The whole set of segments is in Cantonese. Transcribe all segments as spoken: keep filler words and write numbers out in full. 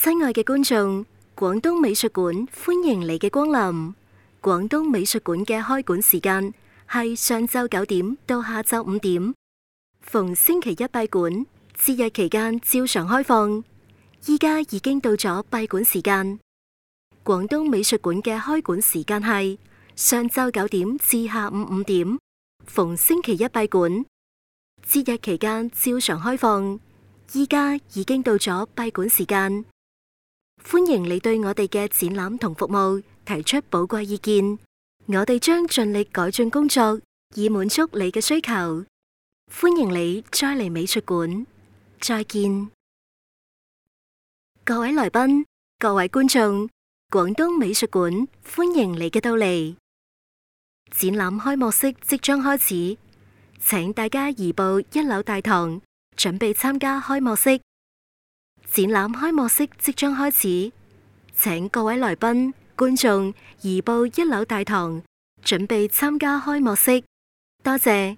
親愛嘅觀眾，廣東美術館歡迎你嘅光臨。廣東美術館嘅開館時間係上晝九點到下晝五點，逢星期一閉館，節日期間照常開放。依家已經到咗閉館時間。廣東美術館嘅開館時間係上晝九點至下午五點，逢星期一閉館，節日期間照常開放。依家已經到咗閉館時間。歡迎你對我哋嘅展覽同服務提出寶貴意見，我哋將盡力改進工作，以滿足你嘅需求。歡迎你再嚟美術館，再見。各位來賓、各位觀眾，廣東美術館歡迎你嘅到嚟。展覽開幕式即將開始，請大家移步一樓大堂，準備參加開幕式。展覽開幕式即將開始，請各位來賓、觀眾移步一樓大堂，準備參加開幕式。多謝。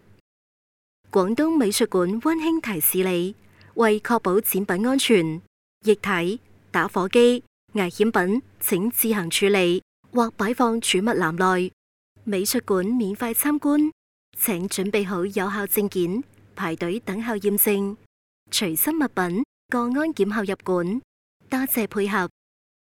廣東美術館溫馨提示你，為確保展品安全，液體、打火機、危險品請自行處理或擺放儲物籃內。美術館免費參觀，請準備好有效證件，排隊等候驗證。隨身物品過安檢後入館，多謝配合。